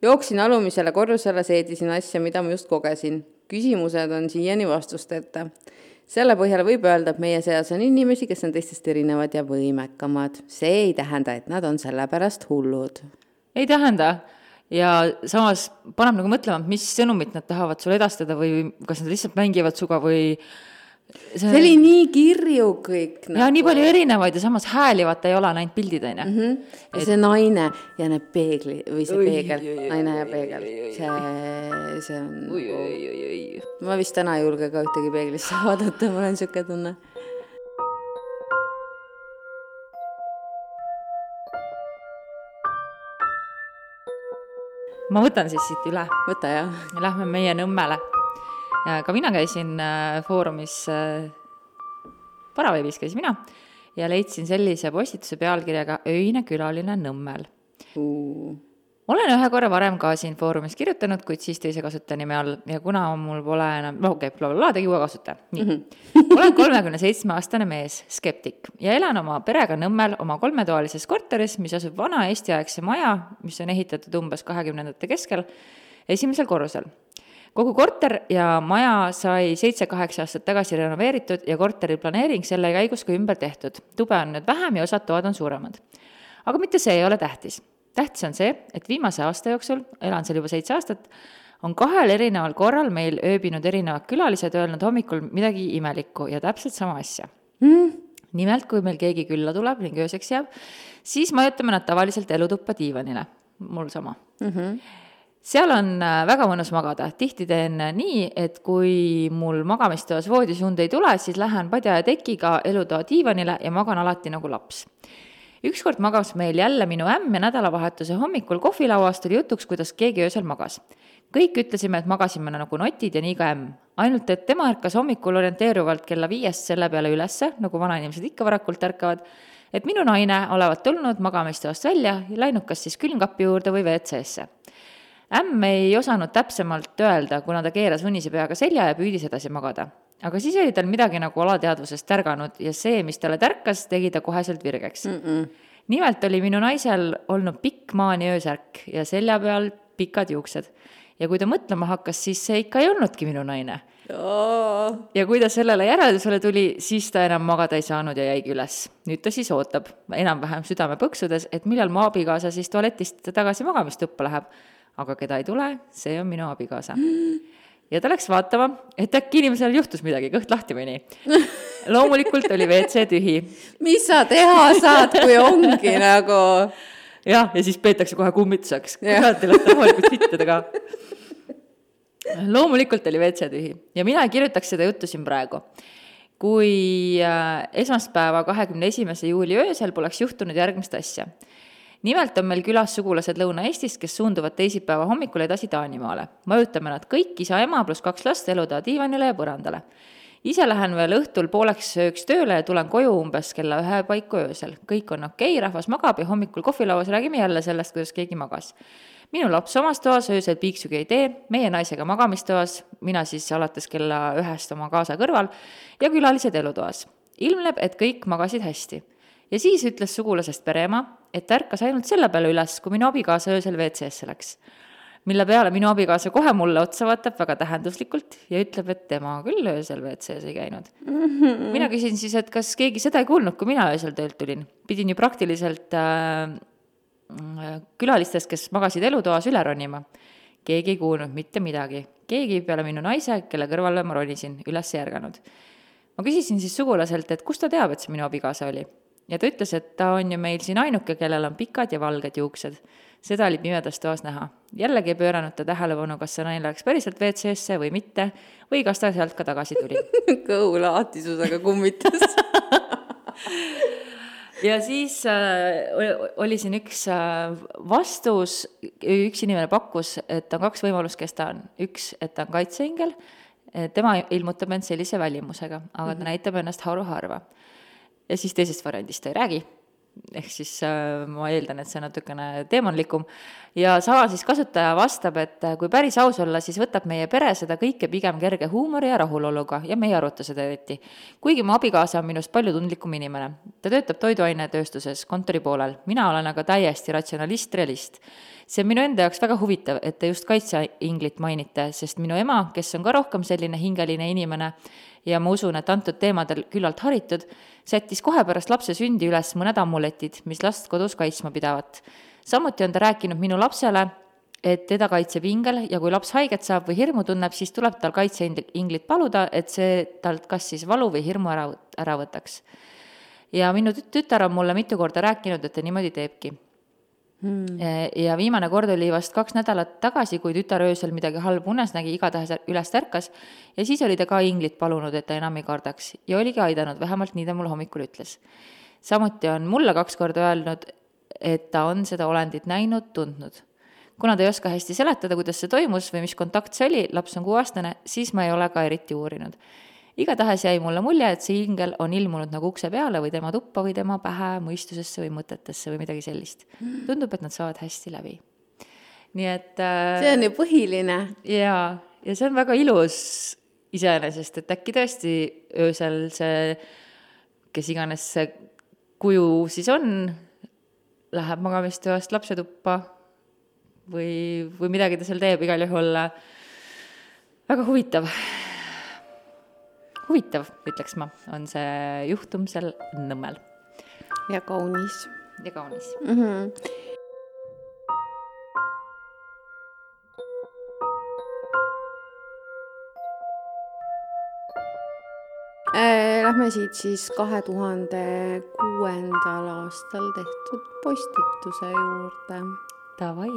Jooksin alumisele korrusele, seedisin asja, mida ma just kogesin. Küsimused on siiani vastusteta. Selle põhjal võib öelda, et meie seas on inimesi, kes on teistest erinevad ja võimekamad. See ei tähenda, et nad on selle pärast hullud. Ei tähenda. Ja samas paneb nagu mõtlema, mis sõnumit nad tahavad sulle edastada või kas nad lihtsalt mängivad suga või... See oli nii kirju kõik. Ja nii palju erinevaid ja samas hääli vaata ei ole näinud pildid, aine. Ja see naine ja need peegli või see peegel, naine ja peegel. See on... Ma vist täna ei julge ka ühtegi peeglisse vaadata, ma olen siuke tunne. Ma võtan siis siit üle. Võta, jah. Lähme meie Nõmmele. Ka mina käisin foorumis, Paraveebis käisin mina ja leidsin sellise postituse pealkirjaga Öine külaline Nõmmel. Olen ühe korra varem ka siin foorumis kirjutanud, kuid siis teise kasutanime all ja kuna mul pole enam, tegi uue kasutaja. Nii. Olen 37-aastane mees, skeptik ja elan oma perega Nõmmel oma 3-toalises korteris, mis asub vana eestiaegse maja, mis on ehitatud umbes 20. keskel, esimesel korrusel. Kogu korter ja maja sai 7-8 aastat tagasi renoveeritud ja korteri planeering selle käigus ka ümber tehtud. Tube on nüüd vähem ja osad toad on suuremad. Aga mitte see ei ole tähtis. Tähtis on see, et viimase aasta jooksul, elan seal juba 7 aastat, on 2 erineval korral meil ööbinud erinevad külalised öelnud hommikul midagi imelikku ja täpselt sama asja. Nimelt, kui meil keegi külla tuleb ning ööseks jääb, siis majutame nad tavaliselt elutuppa diivanile. Mul sama. Seal on väga mõnus magada. Tihti teen nii, et kui mul magamistoas voodis und ei tule, siis lähen padja ja tekiga elutoa diivanile ja magan alati nagu laps. Ükskord magas meil jälle minu ämm ja nädalavahetuse hommikul kohvilauas tuli jutuks, kuidas keegi öösel magas. kõik ütlesime, et magasime nagu notid ja nii ka ämm. Ainult, et tema ärkas hommikul orienteeruvalt kella 5 selle peale ülesse, nagu vanainimesed ikka varakult ärkavad, et minu naine olevat tulnud magamistoast välja ja läinud kas siis külmkapi juurde või WC-sse. Ämm ei osanud täpsemalt öelda, kuna ta keeras unise peaga selja ja püüdis edasi magada. Aga siis oli tal midagi nagu alateadvusest tärganud ja see, mis talle tärkas, tegi ta koheselt virgeks. Nimelt oli minu naisel olnud pikk maani öösärk ja selja peal pikad juuksed. Ja kui ta mõtlema hakkas, siis see ikka ei olnudki minu naine. Ja kui ta sellele järeldusele tuli, siis ta enam magada ei saanud ja jäigi üles. Nüüd ta siis ootab enam-vähem südame põksudes, et millal mu abikaasa siis tualetist tagasi magamistuppa läheb. Aga keda ei tule, see on minu abikaasa. Ja ta läks vaatama, et äkki inimesel juhtus midagi, kõht lahti või nii. Loomulikult oli WC tühi. Mis sa teha saad, kui ongi nagu... Ja siis peetakse kohe kummituseks. Kurat ei lõhta rahulikult sittida ka. Loomulikult oli WC tühi. Ja mina kirjutaks seda juttu siin praegu. Kui esmaspäeva 21. juuli öösel poleks juhtunud järgmist asja. Nimelt on meil külas sugulased Lõuna-Eestist, kes suunduvad teisipäeva hommikul edasi Taanimaale. Mõjutame nad kõik, isa, ema plus 2 last eluda diivanile ja põrandale. Ise lähen veel õhtul pooleks sööks tööle ja tulen koju umbes kella 1 paiku öösel. Kõik on okei, rahvas magab ja hommikul kohvilauas räägime jälle sellest, kuidas keegi magas. Minu laps omas toas öösel piiksugi ei tee, meie naisega magamistoas, mina siis alates kella 1 oma kaasa kõrval ja külalised elutoas. Ilmneb, et kõik magasid hästi. Ja siis ütles sugulasest pereema, et ärkas ainult selle peale üles, kui minu abikaasa öösel WC-sse läks. Mille peale minu abikaasa kohe mulle otsa vaatab väga tähenduslikult ja ütleb, et tema küll öösel WC-s ei käinud. Mina küsin siis, et kas keegi seda ei kuulnud, kui mina öösel töölt tulin. Pidin ju praktiliselt külalistest, kes magasid elutoas üle ronima. Keegi ei kuulnud mitte midagi. Keegi peale minu naise, kelle kõrvale ma ronisin, üles järganud. Ma küsisin siis sugulaselt, et kust ta teab, et see minu abikaasa oli. Ja ta ütles, et ta on ju meil siin ainuke, kellel on pikad ja valged juuksed. Seda oli pimedas toas näha. Jällegi ei pööranud ta tähelepanu, kas see naine läks päriselt WC-sse või mitte, või kas ta sealt ka tagasi tuli. Kõhulahtisusega kummitas. Ja siis oli siin üks vastus, üks inimene pakkus, et on 2 võimalust, kes ta on. Üks, et ta on kaitseingel, tema ilmutab end sellise välimusega, aga ta näitab ennast harva. Ja siis teisest variandist ta ei räägi, ehk siis ma eeldan, et see on natukene teemanlikum. Ja sama siis kasutaja vastab, et kui päris aus olla, siis võtab meie pere seda kõike pigem kerge huumori ja rahuloluga ja meie aruta seda eriti. Kuigi mu abikaasa on minust palju tundlikum inimene. Ta töötab toiduainetööstuses kontori poolel, mina olen aga täiesti ratsionalist-realist. See on minu enda jaoks väga huvitav, et te just kaitseinglit mainite, sest minu ema, kes on ka rohkem selline hingeline inimene ja ma usun, et antud teemadel küllalt haritud, sättis kohe pärast lapse sündi üles mõned amuletid, mis last kodus kaitsma pidavat. Samuti on ta rääkinud minu lapsele, et teda kaitseb ingel ja kui laps haiget saab või hirmu tunneb, siis tuleb tal kaitseinglit paluda, et see talt kas siis valu või hirmu ära võtaks. Ja minu tütar on mulle mitu korda rääkinud, et ta niimoodi teebki. Ja viimane kord oli vast 2 nädalat tagasi, kui tütar öösel midagi halba unes nägi, igatahes üles ärkas ja siis oli ta ka inglit palunud, et ta enam ei kardaks ja oligi aidanud, vähemalt nii ta mulle hommikul ütles. Samuti on mulle 2 korda öelnud, et ta on seda olendit näinud, tundnud. Kuna ta ei oska hästi seletada, kuidas see toimus või mis kontakt see oli, laps on 6-aastane, siis ma ei ole ka eriti uurinud. Igatahes jäi mulle mulje, et see ingel on ilmunud nagu ukse peale või tema tuppa või tema pähe, mõistusesse või mõtetesse või midagi sellist. Tundub, et nad saavad hästi läbi. Nii et... see on ju põhiline. Ja see on väga ilus iseenesest, et äkki tõesti öösel see, kes iganes see kuju siis on, läheb magamistoast lapse tuppa või midagi ta seal teeb, igal juhul väga huvitav. Huvitav, ütleks ma, on see juhtum seal Nõmmel. Ja kaunis. Ja kaunis. Lähme siit siis 2006. aastal tehtud postituse juurde. Davai.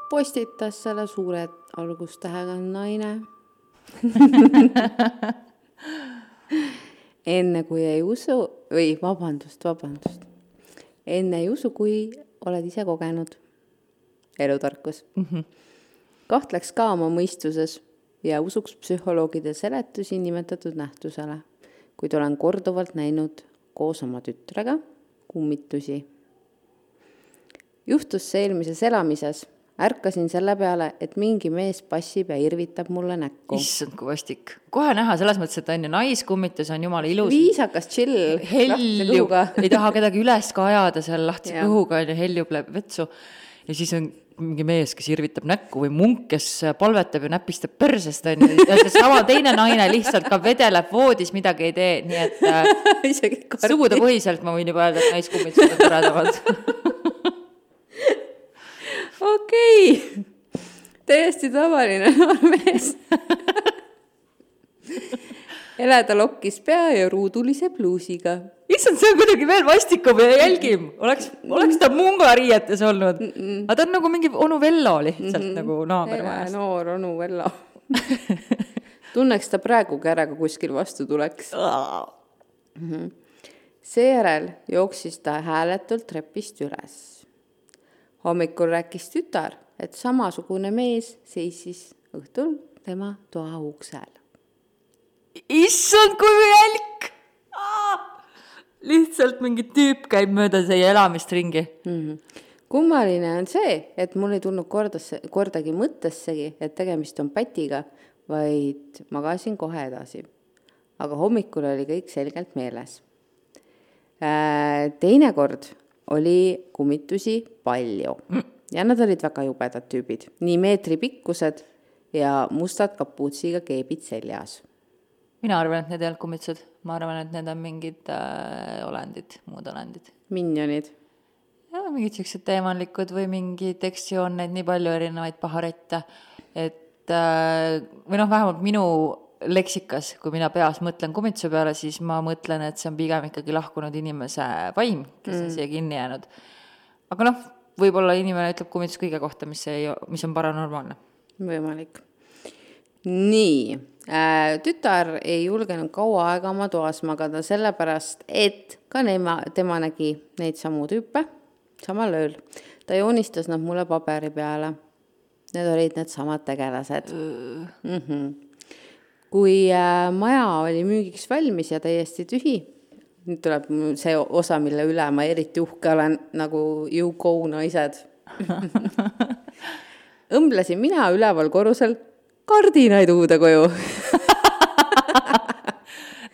Postitas selle suure algustähega naine. Enne kui ei usu, või vabandust. Enne ei usu, kui oled ise kogenud. Elutarkus. kahtleks ka oma mõistuses ja usuks psühholoogide seletusi nimetatud nähtusele, kuid olen korduvalt näinud koos oma tütrega kummitusi. Juhtus see eelmises elamises. Ärkasin selle peale, et mingi mees passib ja irvitab mulle näkku. Issand, kui vastik. Kohe näha, selles mõttes, et on ju naiskummitus, on jumala ilus. Viisakas chill. Heljub, ei taha kedagi üles ka ajada seal lahtise kõhuga, on ju, heljub läheb vetsu. Ja siis on mingi mees, kes irvitab näkku või munk, kes palvetab ja näpistab persest, on ju. Ja see sama teine naine lihtsalt ka vedeleb voodis, midagi ei tee. Nii et sugude põhiselt ma võin juba öelda, et naiskummitused on toredamad. Okei. Täiesti tavaline noormees. Elada lokkis pea ja ruudulise pluusiga. Issand, see on kuidagi veel vastikum ja jälgim. Oleks ta mungariietes olnud. Aga ta on nagu mingi onu Vello lihtsalt nagu naabermajast. Noor onu Vello. Tunneks ta praegugi ära, kui kuskil vastu tuleks. Seejärel jooksis ta hääletult trepist üles. Hommikul rääkis tütar, et samasugune mees seisis õhtul tema toa uksel. Issand, kui jälk! Lihtsalt mingi tüüp käib mööda see elamist ringi. Kummaline on see, et mul ei tulnud kordagi mõttessegi, et tegemist on pätiga, vaid magasin kohe edasi. Aga hommikul oli kõik selgelt meeles. Teine kord oli kummitusi palju ja nad olid väga jubedad tüübid. Nii meetri pikkused ja mustad kapuutsiga keebid seljas. Mina arvan, et need ei olnud kummitused. Ma arvan, et need on mingid olendid, muud olendid. Minjonid. Ja mingid sellised teemanlikud või mingi tekstsioon, neid nii palju erinevaid paharette. Et, või vähemalt minu leksikas, kui mina peas mõtlen kummituse peale, siis ma mõtlen, et see on pigem ikkagi lahkunud inimese vaim, kes on siia kinni jäänud. Aga võib-olla inimene ütleb kummitus kõige kohta, mis on paranormaalne. Võimalik. Nii, tütar ei julgenud kaua aega oma toas magada sellepärast, et ka tema nägi neid samu tüüpe samal ööl. Ta joonistas nad mulle paberi peale. Need olid need samad tegelased. Kui maja oli müügiks valmis ja täiesti tühi, nüüd tuleb see osa, mille üle ma eriti uhke olen, nagu you go naised. Õmblesin mina üleval korrusel kardinaid uude koju.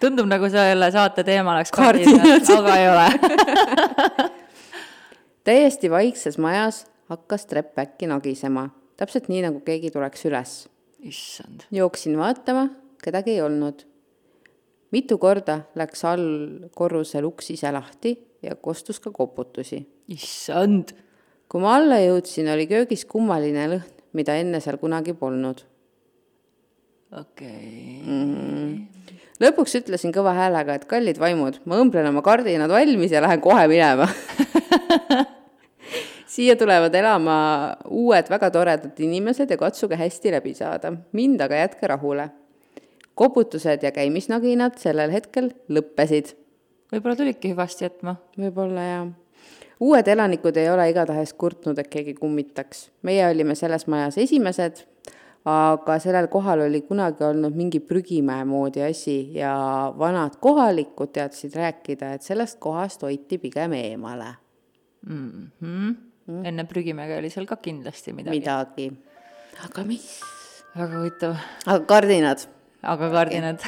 Tundub nagu selle saate teema oleks kardinad, aga ei ole. Täiesti vaikses majas hakkas trepp äkki nagisema. Täpselt nii, nagu keegi tuleks üles. Issand. Jooksin vaatama, kedagi ei olnud. Mitu korda läks all korrusel uks ise lahti ja kostus ka koputusi. Issand. Kui ma alla jõudsin, oli köögis kummaline lõhn, mida enne seal kunagi polnud. Lõpuks ütlesin kõva häälega, et kallid vaimud, ma õmblen oma kardinad valmis ja lähen kohe minema. Siia tulevad elama uued väga toredad inimesed ja katsuge hästi läbi saada. Mind aga jätke rahule. Koputused ja käimisnaginad sellel hetkel lõppesid. Võib-olla tulidki hüvasti jätma. Võib-olla jah. Uued elanikud ei ole igatahes kurtnud, et keegi kummitaks. Meie olime selles majas esimesed, aga sellel kohal oli kunagi olnud mingi prügimäe moodi asi ja vanad kohalikud teadsid rääkida, et sellest kohast hoiti pigem eemale. Enne prügimäega oli seal ka kindlasti midagi. Aga mis? Väga huvitav. Aga kardinad.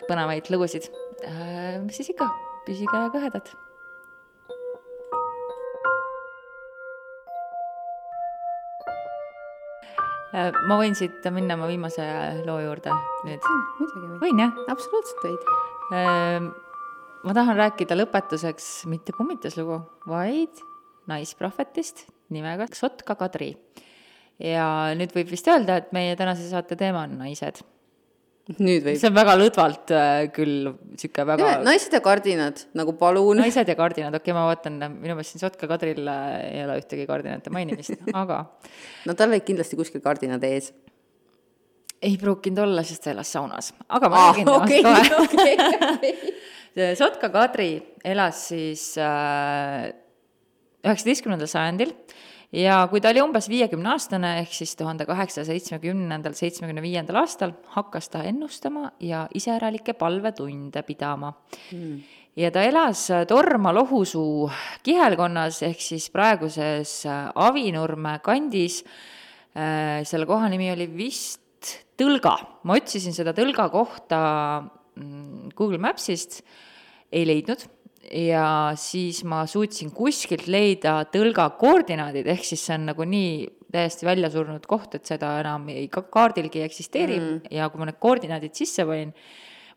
Põnevaid lugusid. Mis siis ikka? Püsige kõhedad. Ma võin siit minna ma viimase loo juurde nüüd. Võin jah? Absoluutselt võid. Ma tahan rääkida lõpetuseks mitte kummituslugu, vaid naisprohvetist nimega Sotka Kadri. Ja nüüd võib vist öelda, et meie tänase saate teema on naised. Nüüd võib. See on väga lõdvalt küll siuke väga... Ja, naised ja kardinad, nagu palun. Naised ja kardinad, okei, ma vaatan, minu meelest siin Sotka Kadril ei ole ühtegi kardinate mainimist, aga... No tal oli kindlasti kuskil kardinad ees. Ei pruukinud olla, sest ta elas saunas. Aga ma räägin temast kohe. Sotka Kadri elas siis 19. sajandil ja kui ta oli umbes 50-aastane, ehk siis 1870-75. aastal, hakkas ta ennustama ja iseäralikke palvetunde pidama. Ja ta elas Torma-Lohusuu kihelkonnas, ehk siis praeguses Avinurme kandis. Selle koha nimi oli vist Tõlga. Ma otsisin seda Tõlga kohta Google Mapsist, ei leidnud. Ja siis ma suutsin kuskilt leida Tõlga koordinaadid, ehk siis see on nagu nii täiesti välja surnud koht, et seda enam ei kaardilgi eksisteeri. Ja kui ma need koordinaadid sisse panin,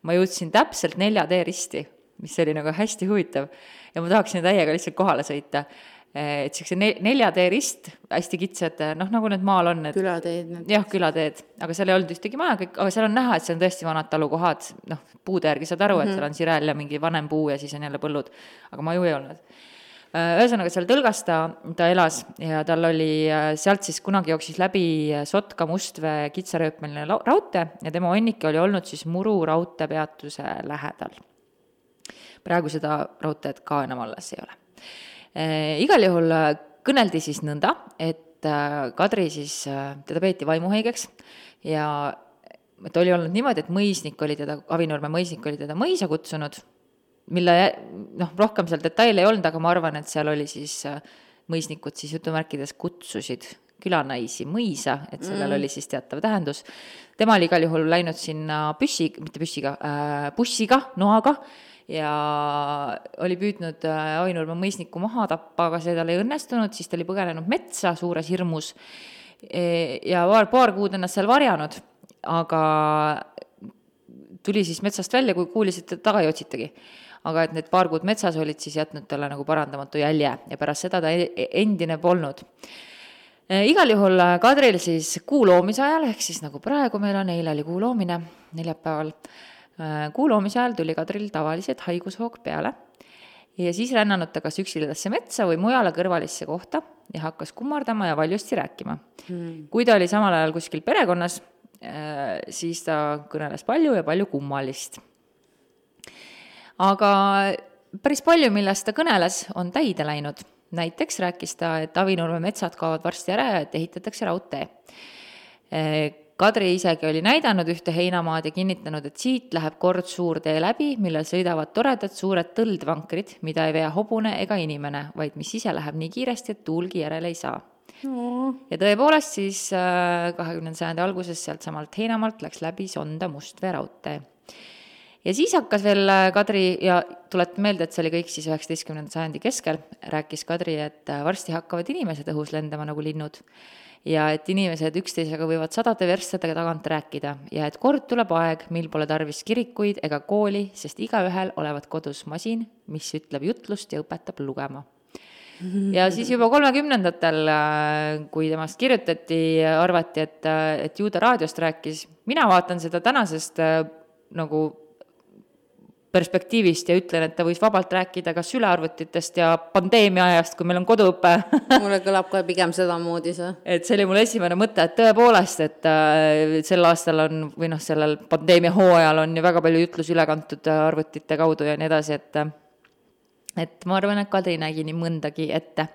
ma jõudsin täpselt 4D risti, mis oli nagu hästi huvitav. Ja ma tahaksin täiega lihtsalt kohale sõita. Et see 4D rist, hästi kitsad, nagu need maal on. Külateed. Jah, külateed, aga seal ei olnud ühtegi maja, aga seal on näha, et see on tõesti vanad talukohad, puude järgi saad aru, et seal on sirel ja mingi vanem puu ja siis on jälle põllud, aga maju ei olnud. Ühesõnaga seal Tõlgas ta elas ja tal oli, sealt siis kunagi jooksis läbi Sotka-Mustvee kitsarööpmeline raudtee ja tema õnnik oli olnud siis Muru raudteepeatuse lähedal. Praegu seda raudteed ka enam alles ei ole. Igal juhul kõneldi siis nõnda, et Kadri siis, teda peeti vaimuhaigeks ja et oli olnud niimoodi, et mõisnik oli teda, Avinurme mõisnik oli teda mõisa kutsunud, mille rohkem seal detaile ei olnud, aga ma arvan, et seal oli siis mõisnikud siis jutumärkides kutsusid külanaisi mõisa, et sellel oli siis teatav tähendus. Tema oli igal juhul läinud sinna bussiga, noaga, ja oli püüdnud Avinurme mõisniku maha tappa, aga see tal ei õnnestunud, siis ta oli põgenenud metsa suures hirmus ja paar kuud ennast seal varjanud, aga tuli siis metsast välja, kui kuulis, et taga ei otsitagi. Aga et need paar kuud metsas olid siis jätnud talle nagu parandamatu jälje ja pärast seda ta endine polnud. Igal juhul Kadril siis kuu loomise ajal, ehk siis nagu praegu meil on, eile oli kuu loomine, neljapäeval, kuu loomise ajal tuli Kadril tavaliselt haigushoog peale ja siis rännanud ta kas üksilidasse metsa või mujale kõrvalisse kohta ja hakkas kummardama ja valjusti rääkima. Kui ta oli samal ajal kuskil perekonnas, siis ta kõneles palju ja palju kummalist. Aga päris palju, millest ta kõneles, on täide läinud. Näiteks rääkis ta, et Avinurme metsad kaovad varsti ära ja et ehitatakse raudtee. Kadri isegi oli näidanud ühte heinamaad ja kinnitanud, et siit läheb kord suur tee läbi, millel sõidavad toredad suured tõldvankrid, mida ei vea hobune ega inimene, vaid mis ise läheb nii kiiresti, et tuulgi järele ei saa. Ja tõepoolest siis 20. sajandi alguses sealt samalt heinamaalt läks läbi Sonda Mustvee raudtee. Ja siis hakkas veel Kadri, ja tulet meelde, et see oli kõik siis 19. sajandi keskel, rääkis Kadri, et varsti hakkavad inimesed õhus lendama nagu linnud. Ja et inimesed üksteisega võivad 100 verstadega tagant rääkida ja et kord tuleb aeg, mil pole tarvis kirikuid ega kooli, sest igaühel olevat kodus masin, mis ütleb jutlust ja õpetab lugema. Ja siis juba 30-ndatel, kui temast kirjutati, arvati, et ju ta raadiost rääkis. Mina vaatan seda tänasest nagu perspektiivist ja ütlen, et ta võis vabalt rääkida ka sülearvutitest ja pandeemia ajast, kui meil on koduõpe. Mulle kõlab ka pigem seda moodi see. Et see oli mul esimene mõte, et tõepoolest, et sel aastal on, või sellel pandeemia hooajal on ju väga palju jutlus üle kantud arvutite kaudu ja nii edasi, et ma arvan, et Kadri nägi nii mõndagi ette.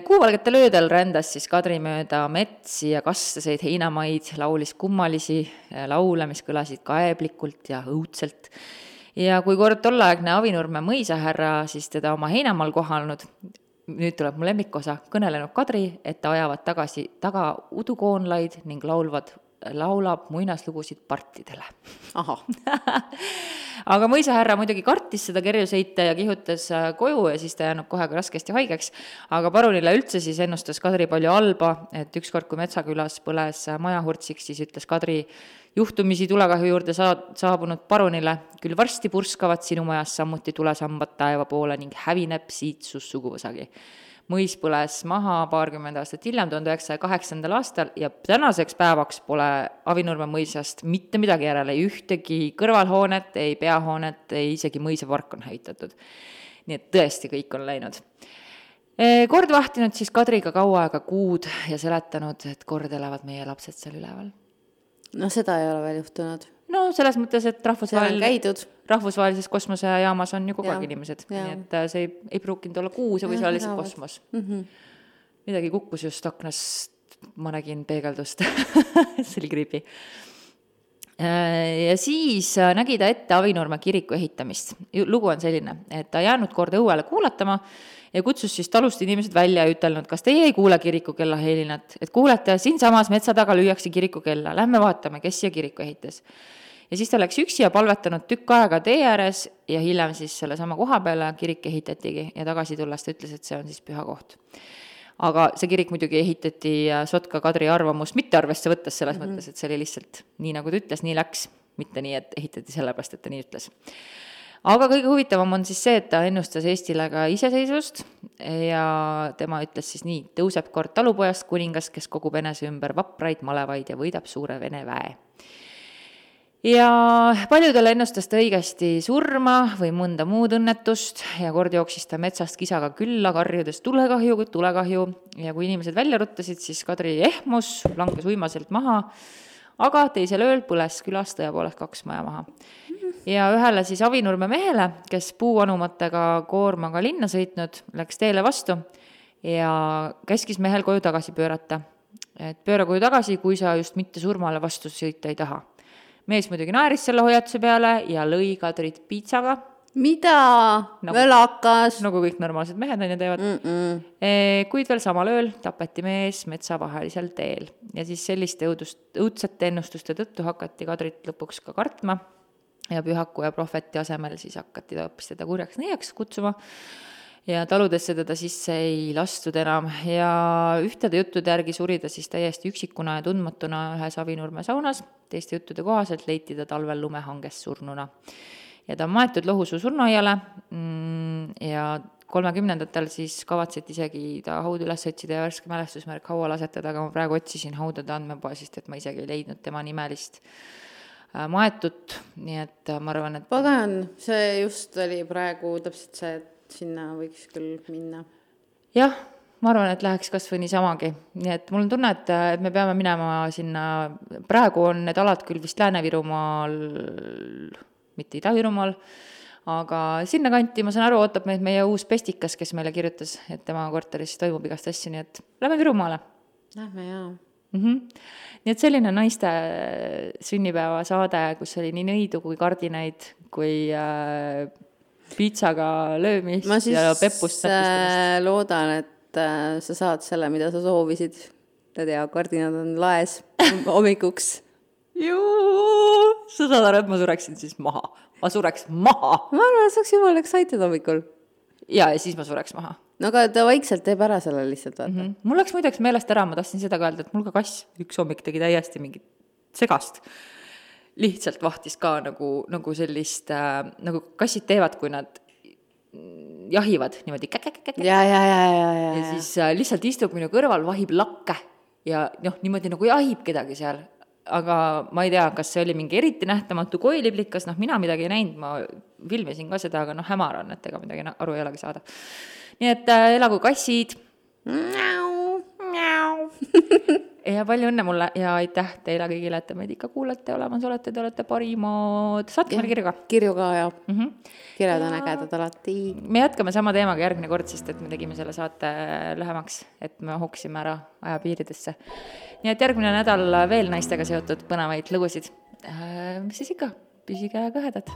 Kuuvalgetel öödel rändas siis Kadri mööda metsi ja kastaseid heinamaid, laulis kummalisi laule, mis kõlasid kaeblikult ja õudselt. Ja kui kord tolleaegne Avinurme mõisahärra siis teda oma heinamaal kohanud, nüüd tuleb mu lemmikosa, kõnelenud Kadri, et ta ajavad taga udukoonlaid ning laulab muinaslugusid partidele. Aha. Aga mõisahärra muidugi kartis seda kerju sõita ja kihutas koju ja siis ta jäänud kohe raskesti haigeks. Aga parunile üldse siis ennustas Kadri palju halba, et ükskord kui Metsakülas põles majahurtsiks, siis ütles Kadri juhtumisi tulekahju juurde saabunud parunile, küll varsti purskavad sinu majas samuti tulesambad taeva poole ning hävineb siitsus suguvõsagi. Mõis põles maha 20 aastat hiljem, 1908. aastal ja tänaseks päevaks pole Avinurme mõisast mitte midagi järele, ei ühtegi kõrvalhoonet, ei peahoonet, ei isegi mõisapark on hävitatud. Nii et tõesti kõik on läinud. Kord vahtinud siis Kadriga kaua aega kuud ja seletanud, et kord elavad meie lapsed seal üleval. No seda ei ole veel juhtunud. No selles mõttes, et rahvusvahelises kosmosejaamas on ju kogu aeg inimesed. Nii et see ei pruukinud olla kuu, see võis olla lihtsalt kosmos. midagi kukkus just aknast, ma nägin peegeldust see oli creepy. Ja siis nägi ta ette Avinurme kiriku ehitamist. Lugu on selline, et ta jäänud kord õuele kuulatama ja kutsus siis talust inimesed välja ja ütelnud, kas teie ei kuule kirikukella helinat, et kuulete, siinsamas metsa taga lüüakse kirikukella, lähme vaatame, kes siia kiriku ehitas. Ja siis ta läks üksi ja palvetanud tükk aega tee ääres ja hiljem siis selle sama koha peale kirik ehitatigi ja tagasi tulles ta ütles, et see on siis püha koht. Aga see kirik muidugi ehitati Sotka Kadri arvamust mitte arvesse võttes selles mõttes, et see oli lihtsalt nii, nagu ta ütles, nii läks, mitte nii, et ehitati sellepärast, et ta nii ütles. Aga kõige huvitavam on siis see, et ta ennustas Eestile ka iseseisvust ja tema ütles siis nii, tõuseb kord talupojast kuningas, kes kogub enese ümber vapraid malevaid ja võidab suure Vene väe. Ja paljudele ennustas ta õigesti surma või mõnda muud õnnetust ja kord jooksis ta metsast kisaga külla, karjudes tulekahju ja kui inimesed välja ruttasid, siis Kadri ehmus, langes uimaselt maha, aga teisel ööl põles külas tõepoolest 2 maja maha. Ja ühele siis Avinurme mehele, kes puuanumatega koormaga linna sõitnud, läks teele vastu ja käskis mehel koju tagasi pöörata. Et pööra koju tagasi, kui sa just mitte surmale vastu sõita ei taha. Mees muidugi naeris selle hoiatuse peale ja lõi Kadrit piitsaga. Mida? Velakas? Nagu kõik normaalsed mehed on ja teevad. Kuid veel samal ööl tapeti mees metsavahelisel teel. Ja siis selliste õudsete ennustuste tõttu hakati Kadrit lõpuks ka kartma ja pühaku ja prohveti asemel siis hakati ta hoopis teda kurjaks nõiaks kutsuma. Ja taludesse teda sisse ei lastud enam ja ühtede juttude järgi suri ta siis täiesti üksikuna ja tundmatuna ühes Avinurme saunas. Teiste juttude kohaselt leiti ta talvel lumehanges surnuna. Ja ta on maetud Lohusuu surnuaiale ja 30ndatel siis kavatseti isegi ta haud üles otsida ja värske mälestusmärk haual asetada, aga ma praegu otsisin haudade andmepoesist, et ma isegi ei leidnud tema nimelist maetut, nii et ma arvan, et pagan, see just oli praegu täpselt see, et sinna võiks küll minna. Jah, ma arvan, et läheks kas või niisamagi. Nii et mul on tunne, et me peame minema sinna, praegu on need alad küll vist Lääne-Virumaal, mitte Ida-Virumaal, aga sinna kanti, ma saan aru, ootab meid meie uus pestikas, kes meile kirjutas, et tema korteris toimub igast asju, nii et lähme Virumaale. Lähme, jaa. Nii et selline naiste sünnipäeva saade, kus oli nii nõidu kui kardinaid, kui piitsaga löömist ja peppust. Ma siis loodan, et sa saad selle, mida sa soovisid. Ta tea, kardinad on laes hommikuks. Sa saad aru, et ma sureksin siis maha. Ma sureks maha. Ma arvan, et saaks jumala excited hommikul. Ja siis ma sureks maha. No aga ta vaikselt teeb ära selle lihtsalt, vaata. Mul läks muideks meelest ära, ma tahtsin seda ka öelda, et mul ka kass üks hommik tegi täiesti mingit segast. Lihtsalt vahtis ka nagu sellist, nagu kassid teevad, kui nad jahivad niimoodi käk. Ja siis lihtsalt istub minu kõrval, vahib lakke ja niimoodi nagu jahib kedagi seal. Aga ma ei tea, kas see oli mingi eriti nähtamatu koiliblikas, mina midagi ei näinud, ma filmisin ka seda, aga hämar on, et ega midagi aru ei olegi saada. Nii et elagu kassid. Ja palju õnne mulle ja aitäh teile kõigile, et te meid ikka kuulete, olemas olete, te olete parimad. Saatke meile kirju ka. Kirju ka, jah. Kirjad on ägedad alati. Me jätkame sama teemaga järgmine kord, sest et me tegime selle saate lähemaks, et me hoksime ära ajapiiridesse. Nii et järgmine nädal veel naistega seotud põnevaid lugusid. Mis siis ikka? Püsige kõhedad.